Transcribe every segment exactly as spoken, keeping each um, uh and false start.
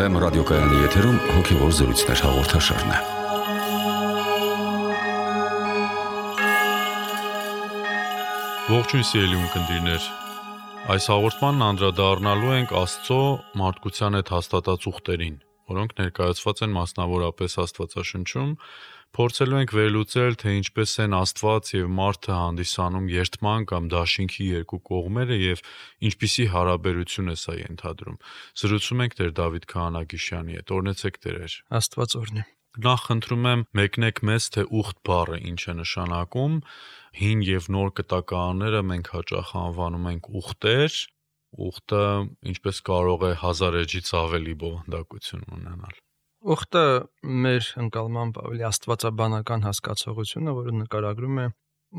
Վեմ ռադիոկայանի եթերում հոգևոր զրույցներ հաղորդաշարն է։ Ողջույն սիրելի ունկնդիրներ, այս հաղորդմանն անդրադառնալու ենք Աստծո մարդկության հետ հաստատած ուխտերին, որոնք ներկայացված են մասնավորապես Աստվածաշնչում, փորձելու ենք վերլուծել, թե ինչպես են Աստված և մարդը հանդիսանում երդման կամ դաշինքի երկու կողմերը և ինչպիսի հարաբերություն է սա ենթադրում։ Զրուցում ենք Տեր Դավիթ Քահանագիշյանի հետ, օրհնեցեք Տերեր։ Աստված օրհնի։ Նախ խնդրում եմ մեկնեք մեզ, թե ուխտ բառը ինչ է նշանակում։ Հին և նոր կտակարանները մենք հաճախ անվանում ենք ուխտեր։ Ուխտը ինչպես կարող է հազար էջից ավելի բովանդակություն ունենալ։ Ուխտը մեր ընկալմամբ ավելի աստվածաբանական հասկացողությունը, որը նկարագրում է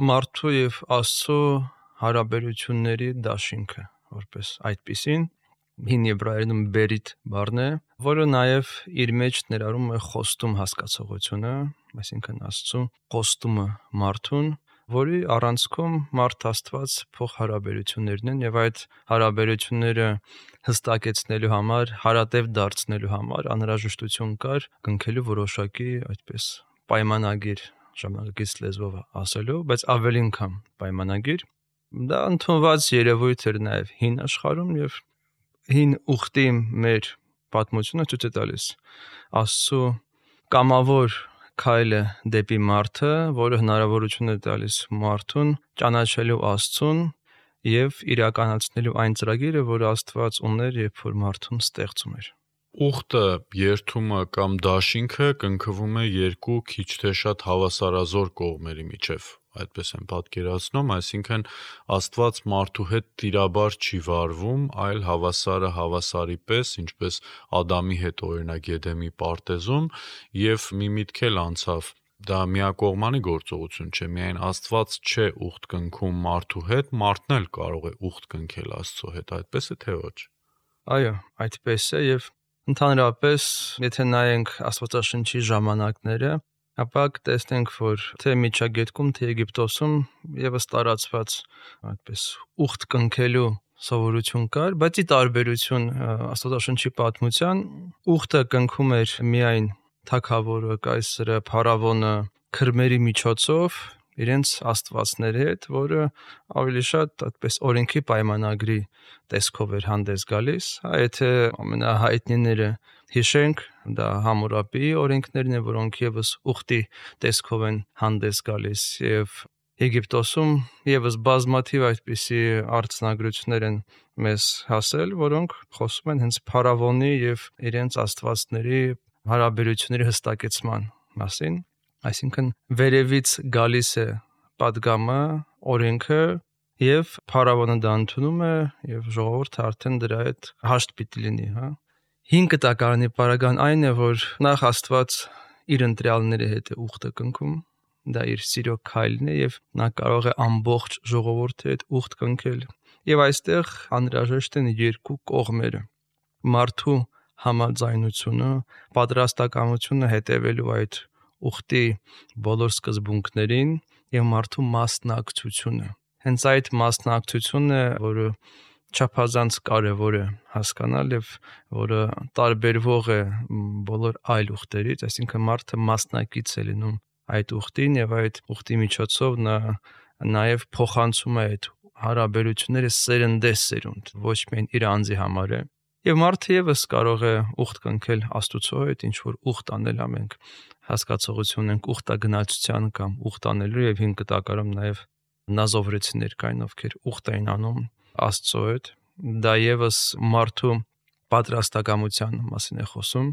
մարդու և Աստծո հարաբերությունների դաշինքը, որպես այդպիսին։ Հին եբրայերենում բերիթ բառն է, որը նաև իր մեջ ներառում է խոստում հասկացողությունը, այսինքն Աստծո խոստումը մարդուն, որի առանցքում մարդ Աստված փոխհարաբերություններն են եւ այդ հարաբերությունները հստակեցնելու համար, հարատև դարձնելու համար անհրաժեշտություն կար կնքելու որոշակի այդպես պայմանագիր, ժամանակակից լեզվով ասելով, բայց ավելի անգամ պայմանագիր։ Դա ընդունված երևույթ էր նաև հին աշխարհում եւ հին ուխտի մեր պատմությունը ցույց է տալիս Աստծո կամավոր քայլը դեպի մարդը, որը հնարավորություն է տալիս մարդուն ճանաչելու Աստծուն եւ իրականացնելու այն ծրագիրը, որը Աստված ուներ, երբ որ մարդուն ստեղծում էր։ Ուխտը, երդումը կամ դաշինքը կնքվում է երկու քիչ թե շատ հավասարազոր կողմերի միջև, այդպես եմ պատկերացնում, այսինքն Աստված մարդու հետ տիրաբար չի վարվում, այլ հավասարը հավասարի պես, ինչպես Ադամի հետ օրինակ Եդեմի պարտեզում, եւ մի միտք էլ անցավ, դա միակողմանի գործողություն չէ, միայն Աստված չէ ուխտ կնքում մարդու հետ, մարդն էլ կարող է ուխտ կնքել Աստծո հետ, այդպես է թե ոչ։ Այո, այդպես է եւ ընդհանրապես, եթե նայենք Աստվածաշնչի ժամանակները, ապա կտեսնենք, որ թե Միջագետքում, թե Եգիպտոսում եւս տարածված այդպես ուխտ կնքելու սովորություն կար, բայց ի տարբերություն Աստվածաշնչի պատմության, ուխտը կնքում էր միայն թագավորը, կայսրը, փարավոնը քրմերի միջոցով իրենց աստվածների հետ, որը ավելի շատ այդպես օրենքի պայմանագրի տեսքով էր հանդես գալիս, եթե ամենահայտնիները հիշենք, դա Համուրաբիի օրենքներն են, որոնք եւս ուխտի տեսքով են հանդես գալիս, եւ Եգիպտոսում եւս բազմաթիվ այդպիսի արձանագրություններ են մեզ հասել, որոնք խոսում են հենց փարավոնի եւ իրենց աստվածների հարաբերությունների հստակեցման մասին, այսինքն վերևից գալիս է պատգամը, օրենքը եւ փարավոնը դա ընդունում է եւ ժողովուրդը արդեն դրա հետ հաշտ պիտի լինի, հա։ Հին կտակարանի պարագան այն է, որ նախ Աստված իր ընտրյալների հետ է ուխտը կնքում, դա իր սիրո քայլն է եւ նա կարող է ամբողջ ժողովրդի հետ ուխտ կնքել։ Եվ այստեղ անհրաժեշտ են երկու կողմերը՝ մարդու համաձայնությունը, պատրաստակամությունը հետևելու այդ ուխտի բոլոր սկզբունքներին եւ մարդու մասնակցությունը։ Հենց այդ մասնակցությունն է, որը չափազանց կարևոր է հասկանալ եւ որը տարբերվող է բոլոր այլ ուխտերից, այսինքն մարդը մասնակից է լինում այդ ուխտին եւ այդ ուխտի միջոցով նա նաեւ փոխանցում է այդ հարաբերությունները սերնդեսերունդ, ոչ միայն իր անձի համար է։ Եվ մարդը եւս կարող է ուխտ կնքել Աստուծո հետ, ինչ որ ուխտ անել ամենք հասկացողություն ենք ուխտագնացության կամ ուխտ անելու եւ հին կտակարանում նաեւ նազովրեցիներ կային, ովքեր ուխտ էին անում Աստծո հետ, դա եւս մարդու պատրաստակամության մասին է խոսում։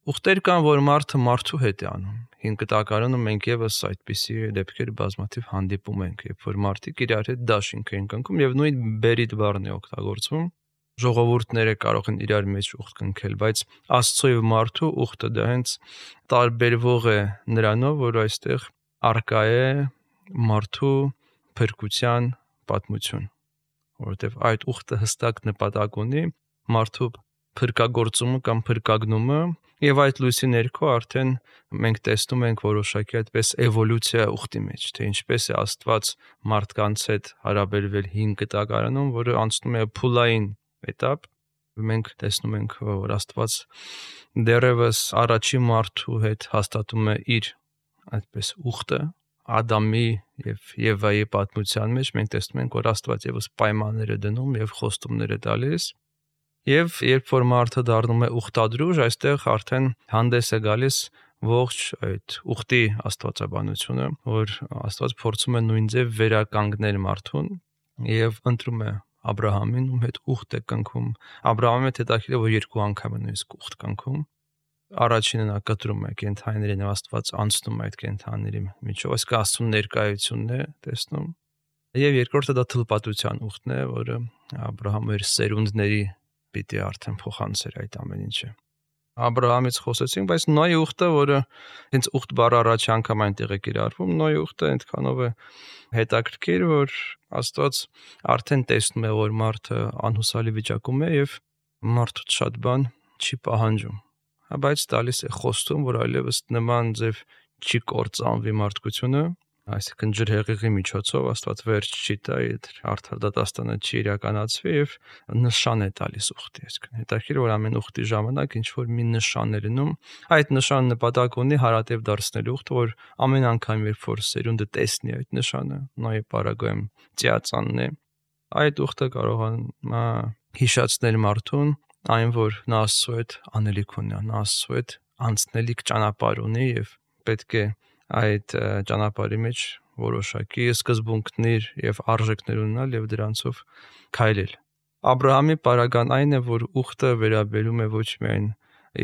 Ուխտեր կան, որ մարդը մարդու հետ է անում։ Հին կտակարանում մենք եւս այդպիսի դեպքեր բազմաթիվ հանդիպում ենք, երբ որ մարդիկ իրար հետ դաշինք են կնքում եւ նույն բերիթ բառն է օգտագործվում։ Ժողովուրդները կարող են իրար մեջ ուխտ կնքել, բայց Աստծո եւ մարդու ուխտը դա հենց տարբերվող է նրանով, որ այստեղ արկա է մարդու փրկության պատմություն, որովհետեւ այդ ուխտը հստակ նպատակ ունի մարդու փրկagorցումը կամ փրկագնումը, եւ այդ լույսի ներքո արդեն մենք տեսնում ենք որոշակի այդպես էվոլյուցիա ուխտի մեջ, թե ինչպես է Աստված մարդկանց հետ հարաբերվել հին կտակարանում, որը անցնում է փուլային էտապ, Մենք տեսնում ենք, որ Աստված դեռևս առաջի մարդու հետ հաստատում է իր այդպես ուխտը Ադամի եւ Եվայի պատմության մեջ մենք տեսնում ենք, որ Աստված եւս պայմաններ է դնում եւ խոստումներ է տալիս եւ երբ որ մարդը դառնում է ուխտադրուժ, այստեղ արդեն հանդես է գալիս ողջ այդ ուխտի աստվածաբանությունը, որ Աստված փորձում է նույն ձև վերականգնել մարդուն եւ ընտրում է Աբ รา համին, ում հետ ուխտ է կնքում։ Աբ รา համը հետաքրքիր է, որ երկու անգամ է նույնիսկ ուխտ կնքում։ Առաջինը նա կտրում է կենթանիներին եւ Աստված անցնում է այդ կենթանիների միջով, այսինքն Աստծո ներկայությունն է տեսնում։ Եվ երկրորդը դա թլպատության ուխտն է, որը Աբ รา համը իր սերունդների պիտի արդեն փոխանցեր այդ ամեն ինչը։ Աբ รา համից խոսեցինք, բայց Նոյի ուխտը, որը հենց ուխտ բառը առաջի անգամ այնտեղ է կիրառվում, Նոյի ուխտը այնքանով է հետաքրքիր, որ Աստված արդեն տեսնում է, որ մարդը անհուսալի վիճակում է եւ մարդուց շատ բան չի պահանջում։ Բայց տալիս է խոստում, որ այլևս նման ձև չի կործանվի մարդկությունը, այսինքն ջրհեղեղի միջոցով Աստված վերջ չի տա, արդար դատաստանը չի իրականացվի եւ նշան է տալիս ուխտի, այսինքն հետաքրքիր որ ամեն ուխտի ժամանակ ինչ որ մի նշան է լինում, այդ նշանը նպատակ ունի հարատև դարձնելու ուխտը, որ ամեն անգամ երբ որ սերունդը տեսնի այդ նշանը, նոյի պարագայում ծիածանն է, այդ ուխտը կարող է հիշեցնել մարդուն այն որ նա Աստծո հետ անելիք ունի, նա Աստծո հետ անցնելիք ճանապարհ ունի եւ պետք է այդ ճանապարհի մեջ որոշակի սկզբունքներ եւ արժեքներ ունենալ եւ դրանցով քայլել։ Աբ รา համի պարագան այն է, որ ուխտը վերաբերում է ոչ միայն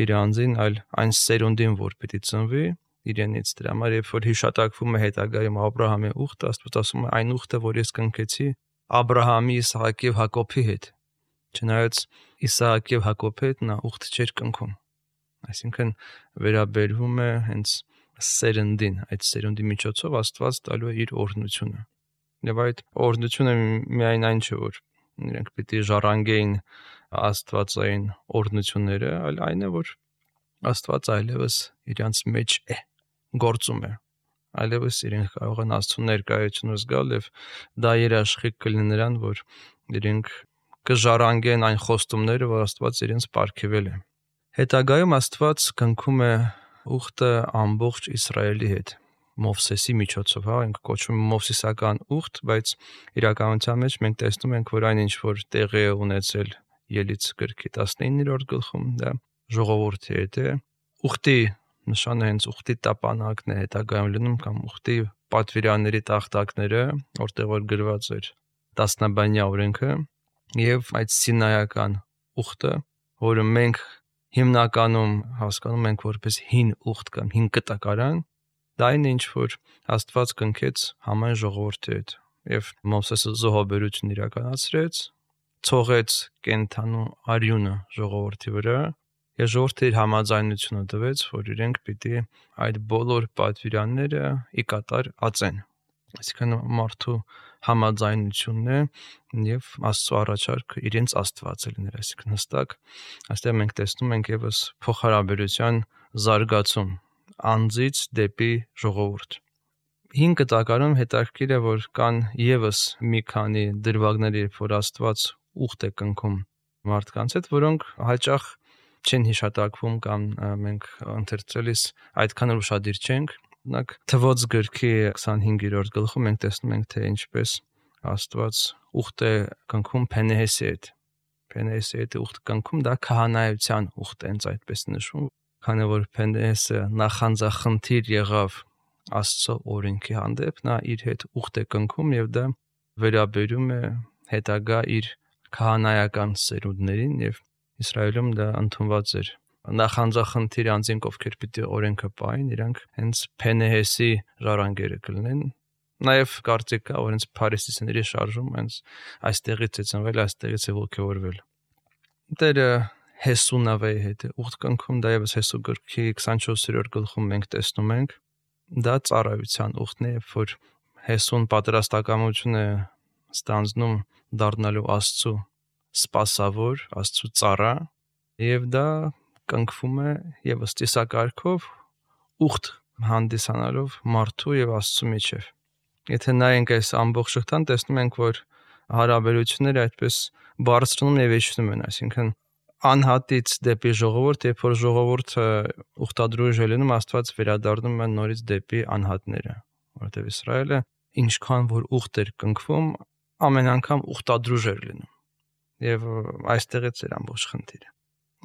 իր անձին, այլ այն սերունդին, որ պիտի ծնվի իրենից։ Դրա համար երբ որ հիշատակվում է հետագայում Աբ รา համի ուխտը, Աստված ասում է այն ուխտը, որ ես կնքեցի Աբ รา համի, Իսահակի եւ Հակոբի հետ։ Չնայած Իսահակի եւ Հակոբի հետ նա ուխտ չէր կնքում։ Այսինքն վերաբերվում է հենց սերնդին, այդ սերունդի միջոցով Աստված տալու է իր օրհնությունը։ Եվ այդ օրհնությունը միայն այն չէ, որ իրենք պիտի ժառանգեին աստվածային օրհնությունները, այլ այն է, որ Աստված այլևս իրանց մեջ է, գործում է։ Այլևս իրենք կարող են Աստծո ներկայությունը զգալ եւ դա երաշխիք կլինի նրան, որ իրենք կժառանգեն այն խոստումները, որ Աստված իրենց պարգևել է։ Հետագայում Աստված կնքում է ուխտը ամբողջ Իսրայելի հետ Մովսեսի միջոցով, հա, ենք կոչվում Մովսեսական ուխտ, բայց իրականության մեջ մենք տեսնում ենք, որ այն ինչ որ տեղի է ունեցել Ելից գրքի տասնիններորդ գլխում, դա ժողովրդի հետ է։ Ուխտի նշանը հենց ուխտի տապանակն է հետագայում լինում կամ ուխտի պատվիրանների տախտակները, որտեղ որ գրված էր տասնաբանյա օրենքը, եւ այդ սինայական ուխտը, որը մենք հիմնականում հասկանում ենք որպես հին ուխտ կամ հին կտակարան, դա այն ինչ որ Աստված կնքեց համայն ժողովրդի հետ եւ Մովսեսը զոհաբերություն իրականացրեց, ցողեց կենթանու արյունը ժողովրդի վրա եւ ժողովրդի իր համաձայնությունը տվեց, որ իրենք պիտի այդ բոլոր պատվիրանները ի կատար ածեն։ Այսինքն մարդու համաձայնությունն է եւ Աստծո առաջարկը իրենց Աստվածը լինել, այսինքն հստակ այստեղ մենք տեսնում ենք եւս փոխհարաբերության զարգացում անձից դեպի ժողովուրդ։ Հին կտակարանում հետաքրքիր է, որ կան եւս մի քանի դրվագներ, երբ որ Աստված ուխտ է կնքում մարդկանց հետ, որոնք հաճախ չեն հիշատակվում կամ մենք ընթերցելիս այդքան ուշադիր չենք։ Օրինակ Թվոց գրքի քսանհինգերորդ գլխում մենք տեսնում ենք, թե ինչպես Աստված ուխտ է կնքում Փենեհեսի հետ։ Փենեհեսի հետ ուխտ կնքում դա քահանայության ուխտ է, հենց այդպես նշվում, քանի որ Փենեհեսը նախանձախնդիր եղավ Աստծո օրենքի հանդեպ, նա իր հետ ուխտ է կնքում եւ դա վերաբերում է հետագա իր քահանայական սերունդներին եւ Իսրայելում դա ընդունված էր նախանձախնդիր անձինք, ովքեր պիտի օրենքը պահեն, իրանք հենց Փենեհեսի ժառանգերը կլինեն։ Նաև կարծիք կա, որ հենց փարիսեցիների շարժում հենց այստեղից է ծնվել, այստեղից է ոգևորվել։ Դերը Հեսու նավեի հետ է ուխտ կնքում, դա եւս Հեսու գրքի քսանչորսերորդ գլխում մենք տեսնում ենք։ Դա ծառայության ուխտն է, որ Հեսուն պատրաստակամություն է ստանձնում դառնալու Աստծո սպասավոր, Աստծո ծառա, եւ դա կնքվում է եւս ծիսակարգով ուխտ հանդիսանալով մարդու եւ Աստծո միջև։ Եթե նայենք այս ամբողջ շղթան, տեսնում ենք, որ հարաբերությունները այդպես բարձրանում եւ իջնում են, այսինքն անհատից դեպի ժողովուրդ, երբ որ ժողովուրդը ուխտադրուժ է լինում, Աստված վերադառնում է նորից դեպի անհատները, որովհետև Իսրայելը ինչքան որ ուխտ էր կնքվում, ամեն անգամ ուխտադրուժ էր լինում։ Եվ այստեղից էր ամբողջ խնդիրը։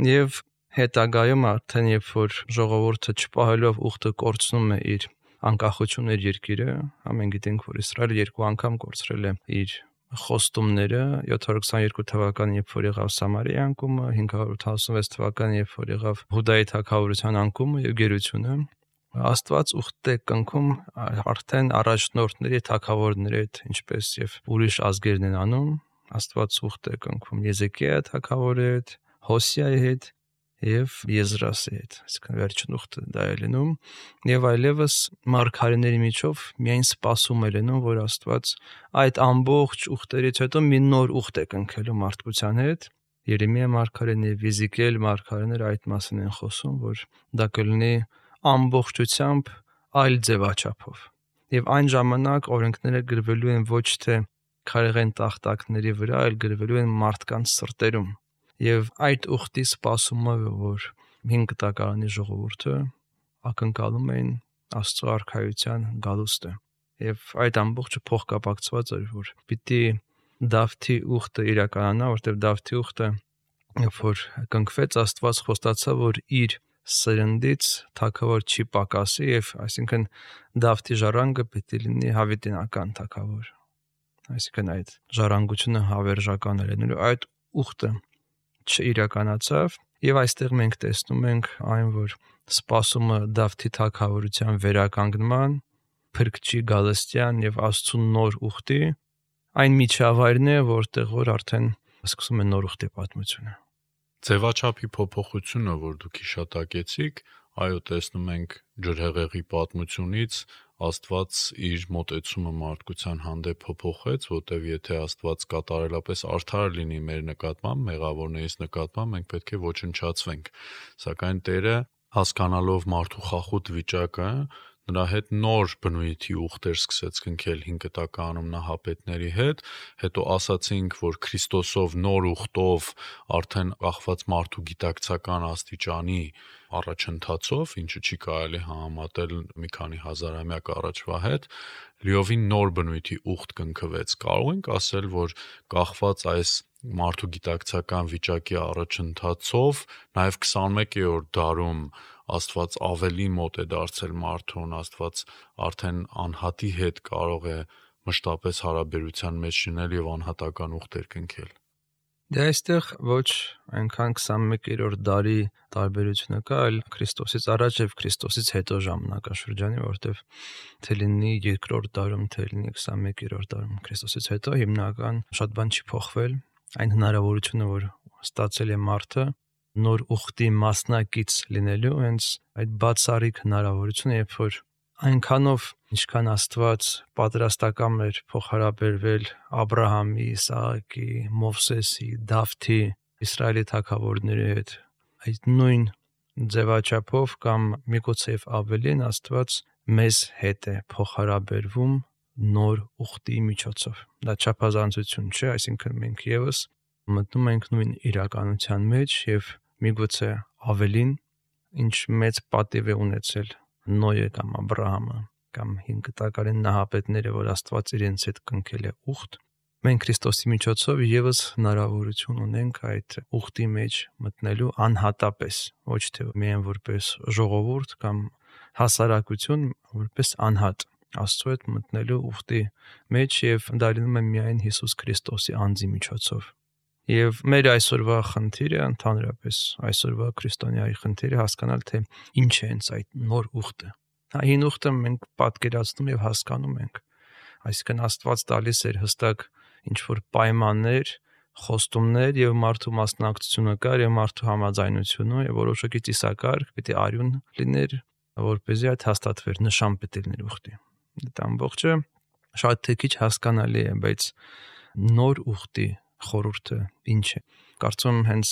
Եվ հետագայում արդեն երբ որ ժողովուրդը չպահելով ուխտը կորցնում է իր անկախությունն իր երկիրը, ամեն գիտենք, որ Իսրայելը երկու անգամ կորցրել է իր խոստումները, յոթ հարյուր քսաներկու թվականին, երբ որ եղավ Սամարիայի անկումը, հինգ հարյուր ութանասունվեց թվականին, երբ որ եղավ Հուդայի թագավորության անկումը եւ գերությունը, Աստված ուխտ է կնքում արդեն առաջնորդների, թագավորների հետ, ինչպես եւ ուրիշ ազգերն են անում, Աստված ուխտ է կնքում Եզեկիայի թագավորի հետ, Հոսիայի հետ եւ Եզրասի հետ, այսինքն վերջին ուխտը դա է լինում, եւ այլևս մարգարեների միջով միայն սպասում է լինում, որ Աստված այդ ամբողջ ուխտերից հետո մի նոր ուխտ է կնքելու մարդկության հետ։ Երեմիա մարգարեն եւ Եզեկիել մարգարեները այդ մասին են խոսում, որ դա կլինի ամբողջությամբ այլ ձևաչափով։ Եվ այն ժամանակ օրենքները գրվելու են ոչ թե քարեղեն տախտակների վրա, այլ գրվելու են մարդկանց սրտերում։ Եվ այդ ուխտի սպասումը, որ հինգ տակարանի ժողովուրդը ակնկալում էին Աստծո արքայության գալուստը։ Եվ այդ ամբողջը փոխկապակցված էր, որ պիտի Դավթի ուխտը իրականանա, որտեղ Դավթի ուխտը, երբ որ կնքվեց, Աստված խոստացավ, որ իր սերնդից թագավոր չի պակասի, եւ այսինքն Դավթի ժառանգը պիտի լինի հավիտենական թագավոր։ Այսինքն այդ ժառանգությունը հավերժական է լինելու, այդ ուխտը չիրականացավ, եւ այստեղ մենք տեսնում ենք այն, որ սպասումը Դավթի թագավորության վերականգնման, փրկչի գալստյան եւ Աստծո նոր ուխտի, այն միջավայրն է, որտեղ որ արդեն սկսում է նոր ուխտի պատմությունը։ Ձևաչափի փոփոխությունը, որ դուք հիշատակեցիք, այո, տեսնում ենք ջրհեղեղի պատմությունից Աստված իր մոտեցումը մարդկության հանդեպ փոփոխեց, որտեղ եթե Աստված կատարելապես արդար լինի մեր նկատմամբ, մեղավորներից նկատմամբ, մենք պետք է ոչնչացվենք։ Սակայն Տերը, հասկանալով մարդու խախուտ վիճակը, նրա հետ նոր բնույթի ուխտեր սկսեց կնքել հինգ տականում նահապետների հետ, հետո ասացինք, որ Քրիստոսով նոր ուխտով արդեն կախված մարդու գիտակցական աստիճանի առաջընթացով, ինչը չի կարելի համեմատել մի քանի հազարամյակ առաջվա հետ, լիովին նոր բնույթի ուխտ կնքվեց։ Կարող ենք ասել, որ կախված այս մարդու գիտակցական վիճակի առաջընթացով, նաև քսանմեկերորդ դարում Աստված ավելի մոտ է դարձել մարդուն, Աստված արդեն անհատի հետ կարող է մշտապես հարաբերության մեջ լինել եւ անհատական ուխտեր կնքել։ Դե այստեղ ոչ այնքան քսանմեկերորդ դարի տարբերությունը կա, այլ Քրիստոսից առաջ եւ Քրիստոսից հետո ժամանակաշրջանի, որտեվ թե լինի երկրորդ դարում, թե լինի քսանմեկերորդ դարում Քրիստոսից հետո հիմնական շատ բան չի փոխվել, այն հնարավորությունը, որ ստացել է մարդը նոր ուխտի մասնակից լինելու, հենց այդ բացառիկ հնարավորությունը, երբ որ այնքանով, ինչքան Աստված պատրաստական էր փոխհարաբերվել Աբրահամի, Իսահակի, Մովսեսի, Դավթի, Իսրայելի թագավորների հետ, այդ նույն ձևաչափով կամ միգուցե ավելին Աստված մեզ հետ է փոխհարաբերվում նոր ուխտի միջոցով։ Դա չափազանցություն չէ, այսինքն մենք եւս մտնում ենք նույն իրականության մեջ եւ միգուցե ավելին, ինչ մեծ պատիվ է ունեցել Նոյը կամ Աբրահամը կամ հինգ տակարան նահապետները, որ Աստված իրենց հետ կնքել է ուխտ, մենք Քրիստոսի միջոցով եւս հնարավորություն ունենք այդ ուխտի մեջ մտնելու անհատապես, ոչ թե միայն որպես ժողովուրդ կամ հասարակություն, որպես անհատ Աստծո հետ մտնելու ուխտի մեջ, եւ դա լինում է միայն Հիսուս Քրիստոսի անձի միջոցով։ Եվ մեր այսօրվա խնդիրը, ընդհանրապես այսօրվա քրիստոնյայի խնդիրը հասկանալ, թե ինչ է հենց այդ նոր ուխտը։ Հին ուխտը մենք պատկերացնում եւ հասկանում ենք, այսինքն Աստված տալիս էր հստակ ինչ որ պայմաններ, խոստումներ եւ մարդու մասնակցությունը կար եւ մարդու համաձայնությունը եւ որոշակի ծիսակարգ պիտի արյուն լիներ, որպեսզի այդ հաստատվեր, նշան պիտի լիներ ուխտի։ Դա ամբողջը շատ թե քիչ հասկանալի է, բայց նոր ուխտի խորհուրդը ինչ է։ Կարծում հենց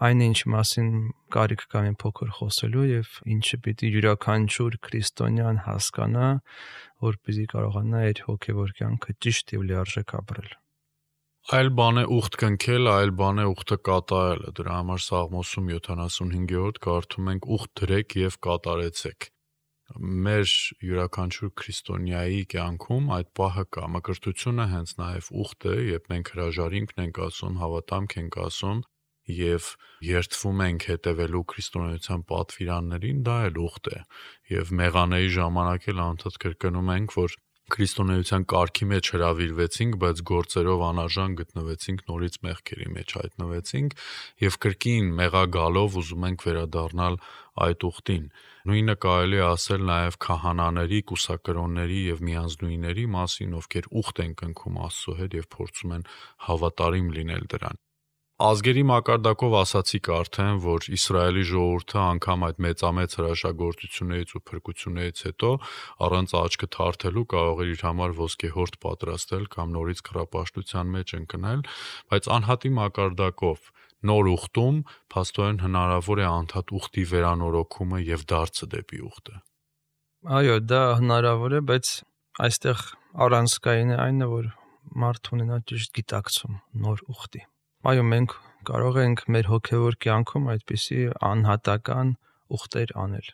այն ինչ մասին կարիք կա մի փոքր խոսելու եւ ինչը պիտի յուրաքանչյուր քրիստոնյան հասկանա, որպեսզի կարողանա իր հոգեվոր կյանքը ճիշտ եւ լիարժեք ապրել։ Այլ բան է ուխտ կնքել, այլ բան է ուխտը կատարելը։ Դրա համար Սաղմոսում յոթանասունհինգերորդ կարդում ենք ուխտ դրեք եւ կատարեցեք։ Մեր յուրաքանչյուր քրիստոնյայի կյանքում այդ պահը կա։ Մկրտությունը հենց նաեւ ուխտ է, երբ մենք հրաժարինքն ենք ասում, հավատամք ենք ասում եւ երդվում ենք հետևելու քրիստոնեության պատվիրաններին, դա էլ ուխտ է։ Եվ մեղանեի ժամանակ էլ անդադ կրկնում ենք, որ քրիստոնեության կարգի մեջ հրավիրվեցինք, բայց գործերով անարժան գտնվեցինք, նորից մեղքերի մեջ հայտնվեցինք եւ կրկին մեղագալով ուզում ենք վերադառնալ այդ ուխտին։ Նույնը կարելի է ասել նաեւ քահանաների, կուսակրոնների եւ միանձնուիների մասին, ովքեր ուխտ են կնքում Աստծո հետ եւ փորձում են հավատարիմ լինել դրան։ Ազգերի մակարդակով ասացիք արդեն, որ Իսրայելի ժողովուրդը անգամ այդ մեծամեծ հրաշագործություններից ու փրկություններից հետո առանց աչքը թարթելու կարող էր իր համար ոսկեհորդ պատրաստել կամ նորից կռապաշտության մեջ ընկնել, բայց անհատի մակարդակով նոր ուխտում փաստորեն հնարավոր է անդադ ուխտի վերանորոգումը եւ դարձը դեպի ուխտը։ Այո, դա հնարավոր է, բայց այստեղ առանցքային է այնը, որ մարդը ունենա ճիշտ գիտակցում նոր ուխտի։ Այո, մենք կարող ենք մեր հոգևոր կյանքում այդպիսի անհատական ուխտեր անել։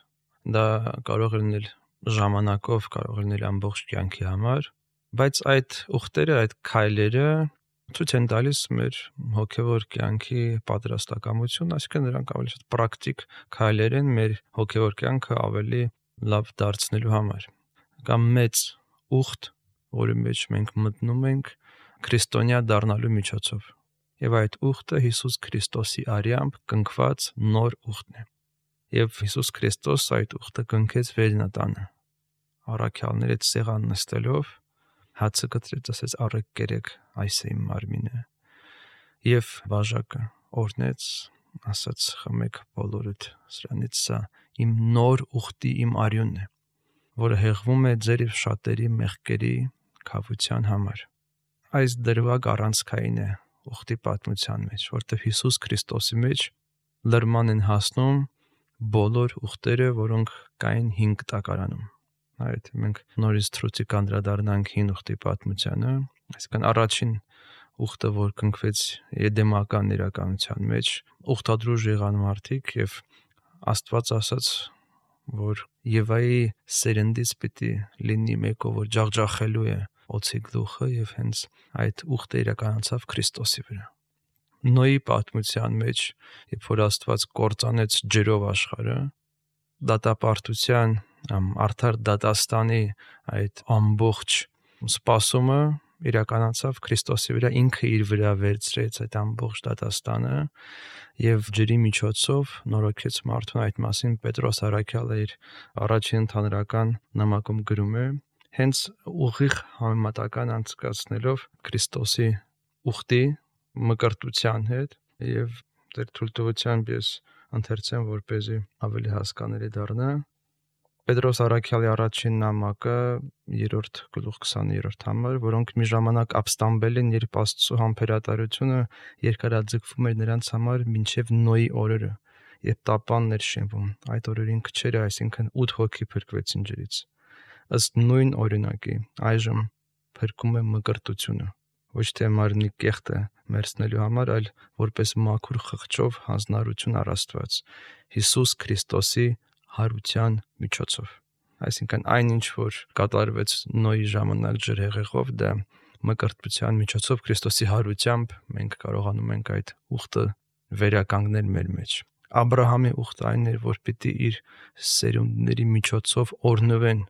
Դա կարող է լինել ժամանակով, կարող է լինել ամբողջ կյանքի համար, բայց այդ ուխտերը, այդ քայլերը ցույց են տալիս մեր հոգևոր կյանքի պատրաստակամություն, այսինքն նրանք ավելի շատ պրակտիկ քայլեր են մեր հոգևոր կյանքը ավելի լավ դարձնելու համար։ Կամ մեծ ուխտ, որի մեջ մենք մտնում ենք քրիստոնյա դառնալու միջոցով։ Եվ այդ ուխտը Հիսուս Քրիստոսի արյամբ կնքված նոր ուխտն է։ Եվ Հիսուս Քրիստոս այդ ուխտը կնքեց վերնատանը։ Առաքյալների հետ սեղան նստելով հացը կտրեց, ասեց առեք կերեք, այս է իմ մարմինը։ Եվ բաժակը օրհնեց, ասաց խմեք բոլորդ, սրանից սա իմ նոր ուխտի իմ արյունն է, որը հեղվում է ձեր եւ շատերի մեղքերի քավության համար։ Այս դրվագ առանցքային է ուխտի պատմության մեջ, որտեղ Հիսուս Քրիստոսի մեջ լրման են հասնում բոլոր ուխտերը, որոնք կային հին տակարանում։ Այդ մենք նորից թրուցի կանդրադառնանք հին ուխտի պատմությանը, այսինքն առաջին ուխտը, որ կնքվեց Էդեմական իրականության մեջ, ուխտադրուժ եղան մարդիկ եւ Աստված ասաց, որ Եվայի սերնդից պիտի լինի մեկը, որ ջախջախելու է օձի գլուխը եւ հենց այդ ուխտը իրականացավ Քրիստոսի վրա։ Նոյի պատմության մեջ, երբ որ Աստված կործանեց ջրով աշխարհը, դատապարտության, արդար դատաստանի այդ ամբողջ սպասումը իրականացավ Քրիստոսի վրա, ինքը իր վրա վերցրեց այդ ամբողջ դատաստանը եւ ջրի միջոցով նորոգեց մարդուն։ Այդ մասին Պետրոս առաքյալը իր առաջին ընդհանրական նամակում գրում է, հենց ուղիղ համեմատական անցկացնելով Քրիստոսի ուխտի մկրտության հետ եւ դեր թույլտվությամբ ես ընթերցեմ, որպեսզի ավելի հասկանալի դառնա։ Պետրոս առաքյալի առաջին նամակը երրորդ գլուխ քսաներորդ համար, որոնք մի ժամանակ ապստամբել են, երբ Աստծո համբերատարությունը երկարաձգվում էր նրանց համար մինչև Նոյի օրերը, երբ տապանն էր շենվում։ Այդ օրերին քչերը, այսինքն ութ հոգի փրկվեցին ջրից։ Ըստ նույն օրինակի, այժմ փրկում է մկրտությունը, ոչ թե մարմնի կեղտը մերցնելու համար, այլ որպես մաքուր խղճով հանձնարարություն առ Աստված Հիսուս Քրիստոսի հարության միջոցով։ Այսինքն այնինչ, որ կատարվեց Նոյի ժամանակ ջրհեղեղով, դա մկրտության միջոցով Քրիստոսի հարությամբ մենք կարողանում ենք այդ ուխտը վերականգնել մեր մեջ։ Աբրահամի ուխտը այն էր, որ պիտի իր սերունդների միջոցով օրհնվեն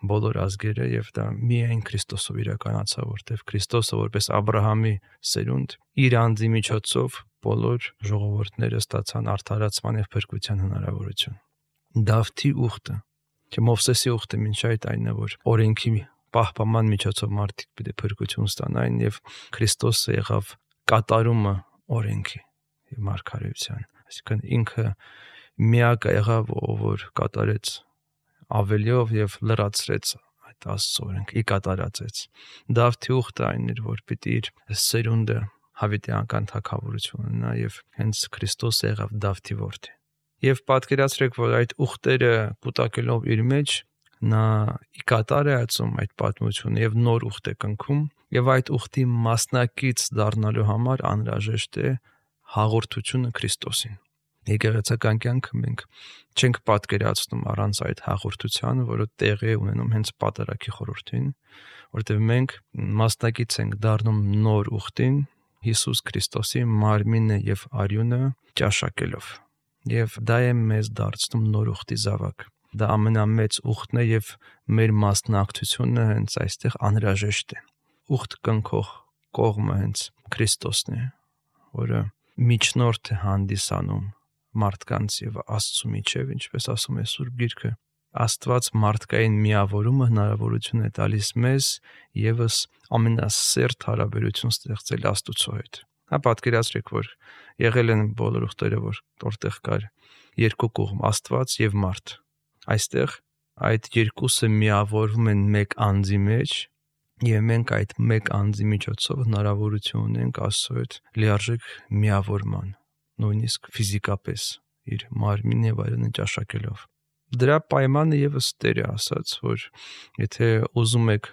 բոլոր ազգերը, եւ դա միայն Քրիստոսով իրականացավ, որտեղ Քրիստոսը որպես Աբրահամի սերունդ իր անձի միջոցով բոլոր ժողովուրդները ստացան արդարացման եւ փրկության հնարավորություն։ Դավթի ուխտը, թե Մովսեսի ուխտը մինչ այդ այն է, որ օրենքի պահպանման միջոցով մարդիկ պիտի փրկություն ստանային, եւ Քրիստոսը եղավ կատարումը օրենքի եւ մարգարեության, այսինքն ինքը միակը եղավ, որ կատարեց ավելիով եւ լրացրեց այդ Աստծո օրենքը, ի կատարածեց։ Դավթի ուխտը այն էր, որ պիտի իր սերունդը հավիտյանական թագավորություն ունենա, եւ հենց Քրիստոսը եղավ Դավթի որդի։ Եվ պատկերացրեք, որ այդ ուխտերը կուտակելով իր մեջ նա ի կատար է ածում այդ պատմությունը եւ նոր ուխտ է կնքում, Եվ այդ ուխտի մասնակից դառնալու համար անհրաժեշտ է հաղորդությունը Քրիստոսին։ Եկեղեցական կյանքը մենք չենք պատկերացնում առանց այդ հաղորդության, որը տեղի է ունենում հենց պատարագի խորհրդին, որտեղ մենք մասնակից ենք դառնում նոր ուխտին Հիսուս Քրիստոսի մարմինը եւ արյունը ճաշակելով։ Եվ դա է մեզ դարձնում նոր ուխտի զավակ։ Դա ամենամեծ ուխտն է եւ մեր մասնակցությունը հենց այստեղ անհրաժեշտ է։ Ուխտ կնքող կողմը հենց Քրիստոսն է, որը միջնորդ է հանդիսանում մարդկանց եւ Աստծու միջև, ինչպես ասում է Սուրբ Գիրքը, Աստված մարդկային միավորումը հնարավորություն է տալիս մեզ եւս ամենասերտ հարաբերություն ստեղծել Աստծու հետ։ Հա պատկերացրեք, որ եղել են բոլոր ուխտերը, որ որտեղ կար երկու կողմ Աստված եւ մարդ։ Այստեղ այդ երկուսը միավորվում են մեկ անձի մեջ եւ մենք այդ մեկ անձի միջոցով հնարավորություն ունենք Աստծո հետ լիարժեք միավորման, նույնիսկ ֆիզիկապես իր մարմինն եւ այլն ճաշակելով։ Դրա պայմանը եւս Տերը ասաց, որ եթե ուզում եք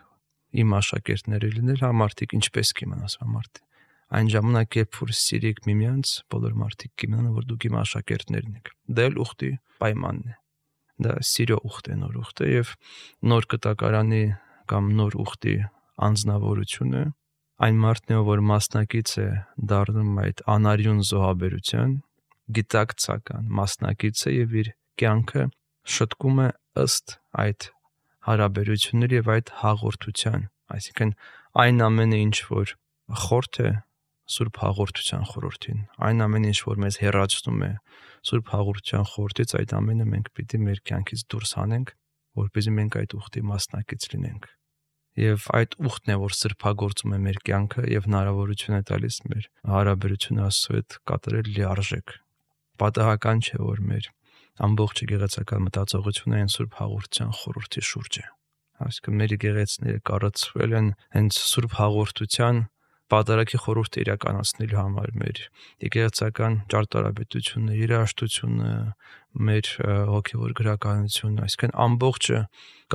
իմ աշակերտները լինել, հա մարդիկ ինչպես կիմանան, ասա մարդ։ Այն ժամանակ, երբ որ սիրեք միմյանց, բոլոր մարդիկ կիմանան, որ դուք իմ աշակերտներն եք։ Դա էլ ուխտի պայմանն է։ Դա սիրո ուխտ է, նոր ուխտ է եւ նոր կտակարանի կամ նոր ուխտի անձնավորությունը այն մարդն է, որ մասնակից է դառնում այդ անարյուն զոհաբերության, գիտակցական մասնակից է եւ իր կյանքը շտկում է ըստ այդ հարաբերությունների եւ այդ հաղորդության, այսինքն այն ամենը, ինչ որ խորթ է Սուրբ հաղորդության խորհրդին, այն ամենը, ինչ որ մեզ հեռացնում է Սուրբ հաղորդության խորհրդից, այդ ամենը մենք պիտի մեր կյանքից դուրս հանենք, որպեսզի մենք այդ ուխտի մասնակից լինենք։ Եվ այդ ուխտն է, որ սրբագործում է մեր կյանքը եւ հնարավորություն է տալիս մեր հարաբերությունը Աստծո հետ կատարել լիարժեք։ Պատահական չէ, որ մեր ամբողջ եկեղեցական մտածողությունը այն Սուրբ հաղորդության խորհրդի շուրջ է։ Այսինքն մեր եկեղեցիները կառուցվել են հենց Սուրբ հաղորդության պատարագի խորհուրդը իրականացնելու համար, մեր եկեղեցական ճարտարապետությունը, երաժշտությունը, մեր հոգևոր գրականությունը, այսինքն ամբողջը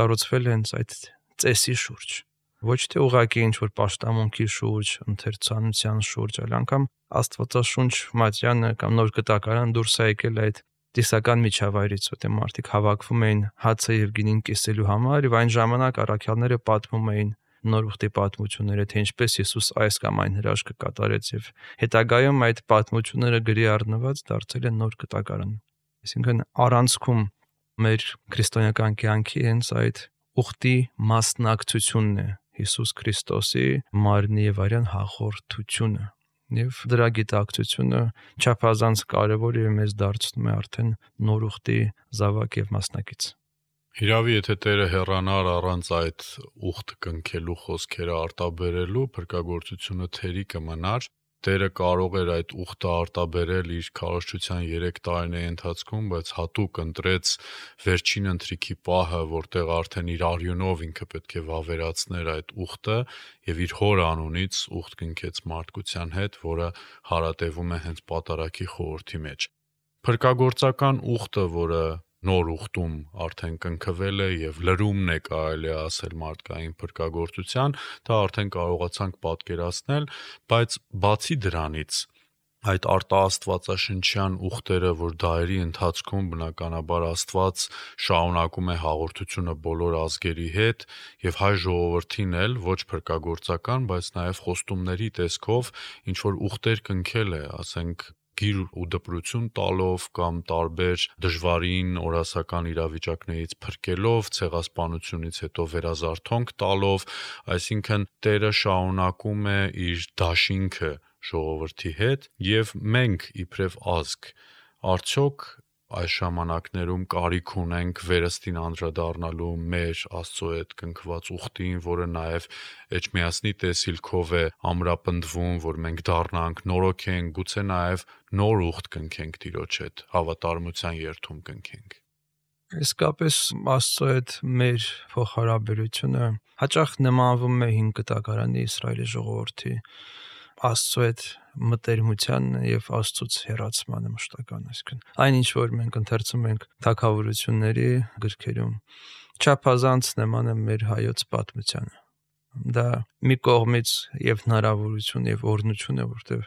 կառուցվել է հենց այդ ծեսի շուրջ, ոչ թե ուղղակի ինչ-որ պաշտամունքի շուրջ, ընթերցանության շուրջ, այլ անգամ Աստվածաշունչ Մատյանը կամ Նոր Կտակարան դուրս է եկել այդ տիսական միջավայրից, որտեղ մարդիկ հավաքվում էին հացը եւ գինին կիսելու համար, եւ այն ժամանակ առաքյալները պատմում էին նոր ուխտի պատմությունները, թե ինչպես Հիսուս այս կամ այն հրաշքը կատարեց, եւ հետագայում այդ պատմությունները գրի առնված դարձել են Նոր Կտակարան։ Այսինքն առանցքում մեր քրիստոնեական կյանքի հենց այդ ուխտի մասնակցությունն է Հիսուս Քրիստոսի մարմնի եւ արյան հաղորդությունը, եւ դրա գիտակցությունը չափազանց կարեւոր է մեզ դարձնում է արդեն նոր ուխտի զավակ եւ մասնակից։ Իրավի, եթե Տերը հեռանար առանց այդ ուխտ կնքելու խոսքերը արտաբերելու, փրկagorցությունը թերի կմնար, Տերը կարող էր այդ ուխտը արտաբերել իր քարոզչության երեք տարիների ընթացքում, բայց հատուկ ընտրեց վերջին ընթրիքի պահը, որտեղ արդեն իր արյունով ինքը պետք է վավերացներ այդ ուխտը եւ իր հոր անունից ուխտ կնքեց մարդկության հետ, որը հարատևում է հենց պատարագի խորհրդի մեջ։ Փրկagorցական ուխտը, որը նոր ուխտում արդեն կնքվել է եւ լրումն է կարելի ասել մարդկային փրկagorցության, դա արդեն կարողացանք պատկերացնել, բայց բացի դրանից այդ արտաաստվածաշնչյան ուխտերը, որ դարերի ընթացքում բնականաբար Աստված շարունակում է հաղորդությունը բոլոր ազգերի հետ եւ հայ ժողովրդին էլ ոչ փրկagorցական, բայց նաեւ խոստումների տեսքով ինչ որ ուխտեր կնքել է, ասենք գիր ու դպրություն տալով կամ տարբեր դժվարին օրասական իրավիճակներից փրկելով, ցեղասպանությունից հետո վերազարթոնք տալով, այսինքն Տերը շարունակում է իր դաշինքը ժողովրդի հետ եւ մենք իբրև ազգ արդյոք այս ժամանակներում կարիք ունենք վերստին անդրադառնալու մեր Աստծո հետ կնքված ուխտին, որը նաև Էջմիածնի տեսիլքով է ամրապնդվում, որ մենք դառնանք, նորոգենք, գուցե նաև նոր ուխտ կնքենք Տիրոջ հետ, հավատարմության երթում կնքենք։ Իսկապես Աստծո հետ մեր փոխհարաբերությունը հաճախ նմանվում է հին կտակարանի Իսրայելի ժողովրդի Աստծո հետ մտերմության եւ Աստծուց հեռացմանը մշտական, այսինքն այն ինչ որ մենք ընթերցում ենք թագավորությունների գրքերում, չափազանց նման է մեր հայոց պատմությանը, Դա մի կողմից եւ հնարավորություն եւ օրհնություն է, որտեղ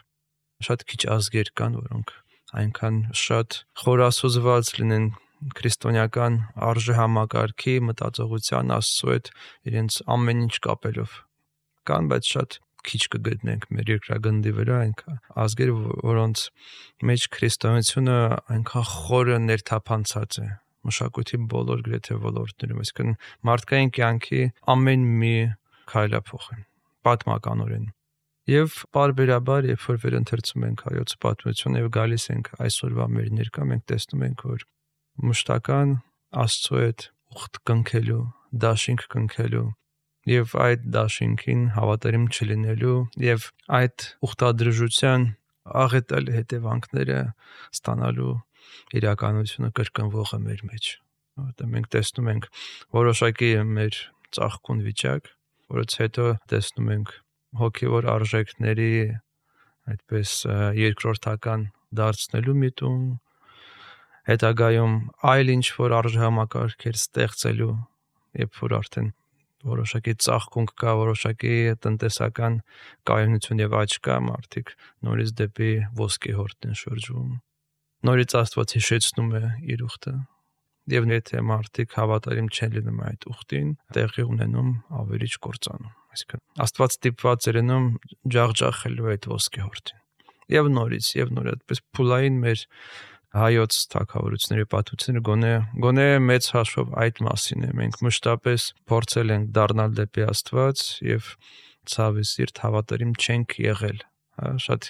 շատ քիչ ազգեր կան, որոնք այնքան շատ խորասուզված լինեն քրիստոնեական արժեհամակարգի մտածողության Աստծո հետ իրենց ամեն ինչ կապելով կան, բայց շատ քիչ կգտնենք մեր երկրագնդի վրա այնքան ազգեր, որոնց մեջ քրիստոնեությունը այնքան խորը ներթափանցած է մշակույթի բոլոր գրեթե ոլորտներում, այսինքն մարդկային կյանքի ամեն մի քայլափոխն պատմականորեն։ Եվ պարբերաբար, երբ որ վերընթերցում ենք հայոց պատմությունը եւ գալիս ենք այսօրվա մեր ներկա, մենք տեսնում ենք, որ մշտական Աստծո հետ ուխտ կնքելու, դաշինք կնքելու եւ այդ դաշինքին հավատարիմ չլինելու եւ այդ ուխտադրժության աղետալ հետևանքները ստանալու իրականությունը կրկնվող է մեր մեջ, որտեղ մենք տեսնում ենք որոշակի մեր ծաղկուն վիճակ, որից հետո տեսնում ենք հոգևոր արժեքների այդպես երկրորդական դարձնելու միտում, հետագայում այլ ինչ որ արժեհամակարգեր ստեղծելու, երբ որ արդեն որոշակի ծաղկունք կա, որոշակի տնտեսական կայունություն եւ աճ կա, մարդիկ նորից դեպի ոսկե հորտն են շրջում։ Նորից Աստված հիշեցնում է իր ուխտը, եւ եթե մարդիկ հավատարիմ չեն լինում այդ ուխտին, տեղի ունենում ավերիչ կործանում։ Այսինքն Աստված ստիպված է լինում ջախջախելու այդ ոսկե հորտին։ Եվ նորից, եւ նոր այդպես փուլային մեր հայոց թագավորությունների պատմությունը գոնե գոնե մեծ հաշվով այդ մասին է։ Մենք մշտապես փորձել ենք դառնալ դեպի Աստված եւ ցավի սիրտ հավատարիմ չենք եղել։ Հա, շատ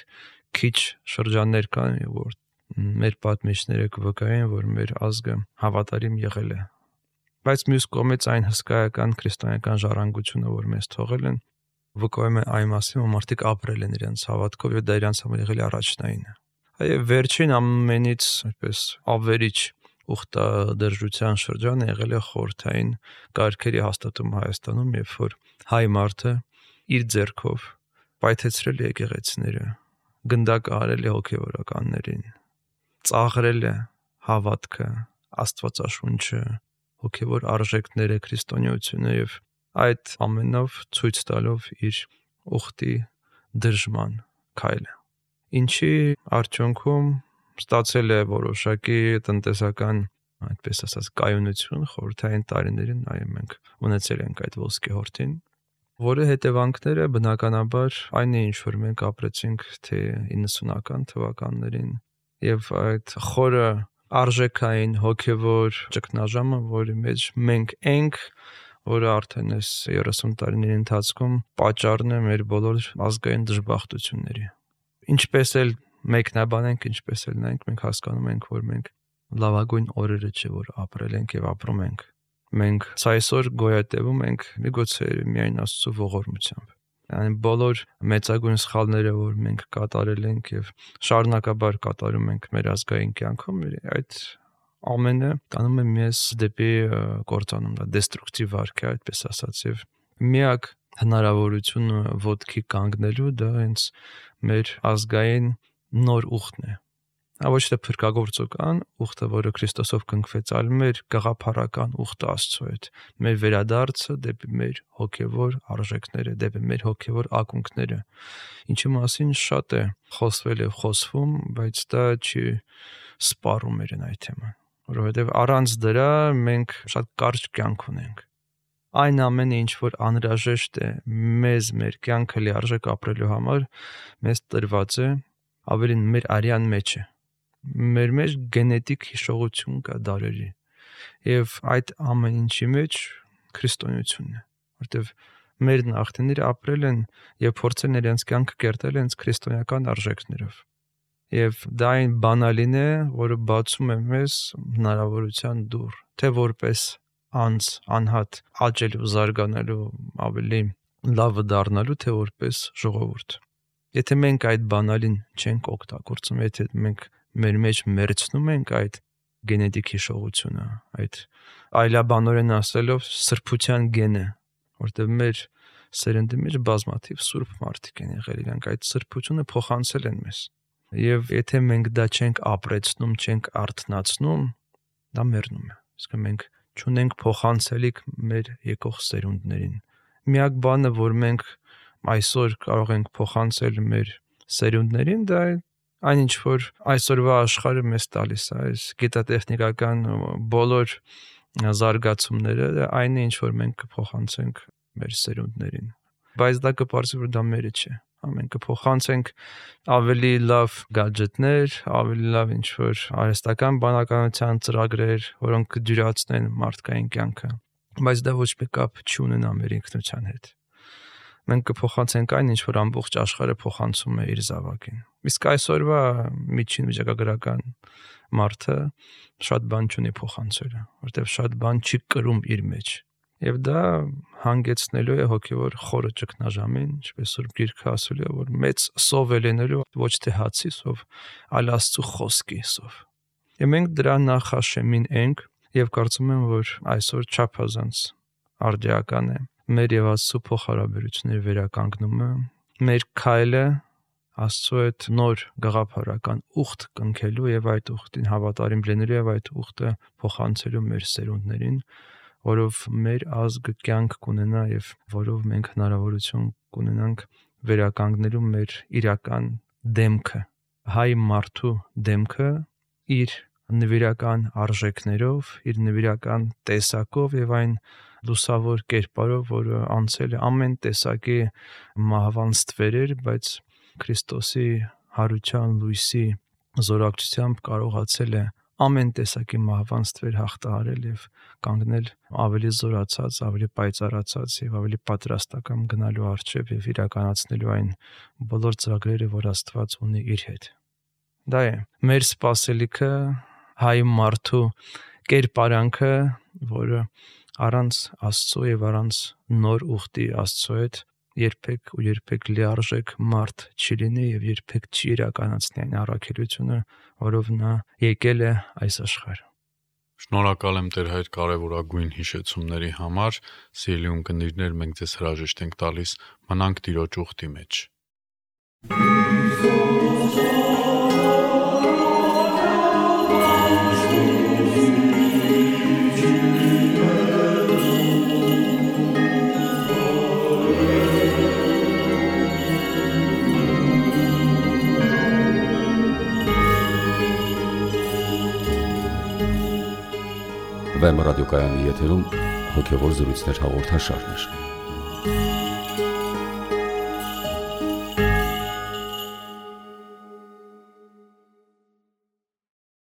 քիչ շրջաններ կան, որ մեր պատմիչները կվկայեն, որ մեր ազգը հավատարիմ եղել է։ Բայց մյուս կողմից այն հսկայական քրիստոնեական ժառանգությունը, որ մեզ թողել են, վկայում է այն մասին, որ մարդիկ ապրել են իրենց հավատքով եւ դա իրենց համար եղել է առաջնայինը։ Այո, վերջին ամենից այդպես ավերիչ ուխտադրժության շրջանը եղել է խորհրդային կարգերի հաստատումը Հայաստանում, երբ որ հայ մարդը իր ձեռքով պայթեցրել է եկեղեցիները, գնդակահարել է հոգևորականներին, ծաղրել է հավատքը, Աստվածաշունչը, հոգևոր արժեքները, քրիստոնեությունը եւ այդ ամենով ցույց տալով իր ուխտի դրժման քայլը, ինչի արդյունքում ստացել է որոշակի տնտեսական, այդպես ասած, կայունություն խորհրդային տարիներին, այո, մենք ունեցել ենք այդ ոսկե հորտին, որը հետևանքները բնականաբար այն է, ինչ որ մենք ապրեցինք թե իննսունական թվականներին եւ այդ խորը արժեքային հոգևոր ճգնաժամը, որի մեջ մենք ենք, որը արդեն այս երեսուն տարիների ընթացքում պատճառն է մեր բոլոր ազգային դժբախտությունների։ Ինչպես էլ մեկնաբանենք, ինչպես էլ նայենք, մենք հասկանում ենք, որ մենք լավագույն օրերը չէ, որ ապրել ենք եւ ապրում ենք։ Մենք այսօր գոյատևում ենք միգուցե միայն Աստծո ողորմությամբ։ Այն բոլոր մեծագույն սխալները, որ մենք կատարել ենք եւ շարունակաբար կատարում ենք մեր ազգային կյանքում, այդ ամենը տանում է մեզ դեպի կործանում, դա դեստրուկտիվ վարք է, այդպես ասած, եւ միակ հնարավորությունը ոտքի կանգնելու դա հենց մեր ազգային նոր ուխտն է։ Ոչ թե փրկagorցական ուխտը, որը Քրիստոսով կնքվեց, այլ մեր գաղափարական ուխտը Աստծո հետ, մեր վերադարձը դեպի մեր հոգևոր արժեքները, դեպի մեր հոգևոր ակունքները, ինչի մասին շատ է խոսվել եւ խոսվում, բայց դա չի սպառում իրեն այդ թեման, որովհետեւ առանց դրա մենք շատ կարճ կյանք ունենք։ Այն ամենը, ինչ որ անհրաժեշտ է մեզ մեր կյանքը լիարժեք ապրելու համար, մեզ տրված է ավելին մեր արյան մեջ է։ Մեր մեջ գենետիկ հիշողություն կա դարերի եւ այդ ամեն ինչի մեջ քրիստոնեությունն է, որտեւ մեր նախնիները ապրել են եւ փորձել իրենց կյանքը կերտել հենց քրիստոնեական արժեքներով եւ դա այն բանալին է, որը բացում է մեզ հնարավորության դուռ, թե որպես անձ անհատ աճելու, զարգանալու, ավելի լավը դառնալու, թե որպես ժողովուրդ։ Եթե մենք այդ բանալին չենք օգտագործում, եթե մենք մեր մեջ մերցնում ենք այդ գենետիկ հիշողությունը, այդ այլաբանորեն ասելով սրբության գենը, որտեղ մեր սերնդի մեջ բազմաթիվ սուրբ մարդիկ են եղել, իրանք այդ սրբությունը փոխանցել են մեզ։ Եվ եթե մենք դա չենք ապրեցնում, չենք արթնացնում, դա մեռնում է։ Իսկ մենք չունենք փոխանցելիք մեր եկող սերունդներին, Միակ բանը, որ մենք այսօր կարող ենք փոխանցել մեր սերունդներին, դա այն ինչ որ այսօրվա աշխարհը մեզ տալիս է, այս գիտատեխնիկական բոլոր զարգացումները, այն է ինչ որ մենք կփոխանցենք մեր սերունդներին։ Բայց դա կպարզվի, որ դա մերը չէ։ Մենք կփոխանցենք ավելի լավ գադջետներ, ավելի լավ ինչ որ արհեստական բանականության ծրագրեր, որոնք կդյուրացնեն մարդկային կյանքը, բայց դա ոչ մի կապ չունենա մեր ինքնության հետ։ Մենք կփոխանցենք այն, ինչ որ ամբողջ աշխարհը փոխանցում է իր զավակին։ Իսկ այսօրվա միջին վիճակագրական մարդը շատ բան չունի փոխանցելը, որտեղ շատ բան չի կրում իր մեջ։ Եվ դա հանգեցնելու է հոգևոր խորը ճգնաժամին, ինչպես որ Գիրքը ասել է, որ մեծ սով է լինելու ոչ թե հացի սով, այլ Աստծո խոսքի սով։ Եվ մենք դրա նախաշեմին ենք եւ կարծում եմ, որ այսօր չափազանց արդիական է մեր եւ Աստծո փոխհարաբերությունների վերականգնումը, մեր քայլը Աստծո հետ նոր գաղափարական ուխտ կնքելու եւ այդ ուխտին հավատարիմ լինելու եւ այդ ուխտը փոխանցելու մեր սերունդներին, որով մեր ազգը կյանք կունենա եւ որով մենք հնարավորություն կունենանք վերականգնելու մեր իրական դեմքը, հայ մարդու դեմքը իր նվիրական արժեքներով, իր նվիրական տեսակով եւ այն լուսավոր կերպարով, որը անցել է ամեն տեսակի մահվան ստվերեր, բայց Քրիստոսի հարության լույսի զորակցությամբ կարողացել է ամեն տեսակի մահվան ստվեր հաղթահարել եւ կանգնել ավելի զորացած, ավելի պայծառացած եւ ավելի պատրաստական գնալու առջեւ եւ իրականացնելու այն բոլոր ծրագրերը, որ Աստված ունի իր հետ։ Դա է մեր սպասելիքը, հայ մարդու կերպարանքը, որը առանց Աստծո եւ առանց նոր ուխտի Աստծո հետ երբեք ու երբեք լիարժեք մարդ չի լինի եւ երբեք չի իրականացնի այն առաքելությունը, որով նա եկել է այս աշխարհ։ Շնորհակալ եմ Տեր Հայր կարևորագույն հիշեցումների համար։ Սիրելի ունկնդիրներ, մենք ձեզ հրաժեշտ ենք տալիս մնանք Տիրոջ ուխտի մեջ։ Վեմ ռադիոկայանի եթերում հոգևոր զրույցներ հաղորդաշարներ։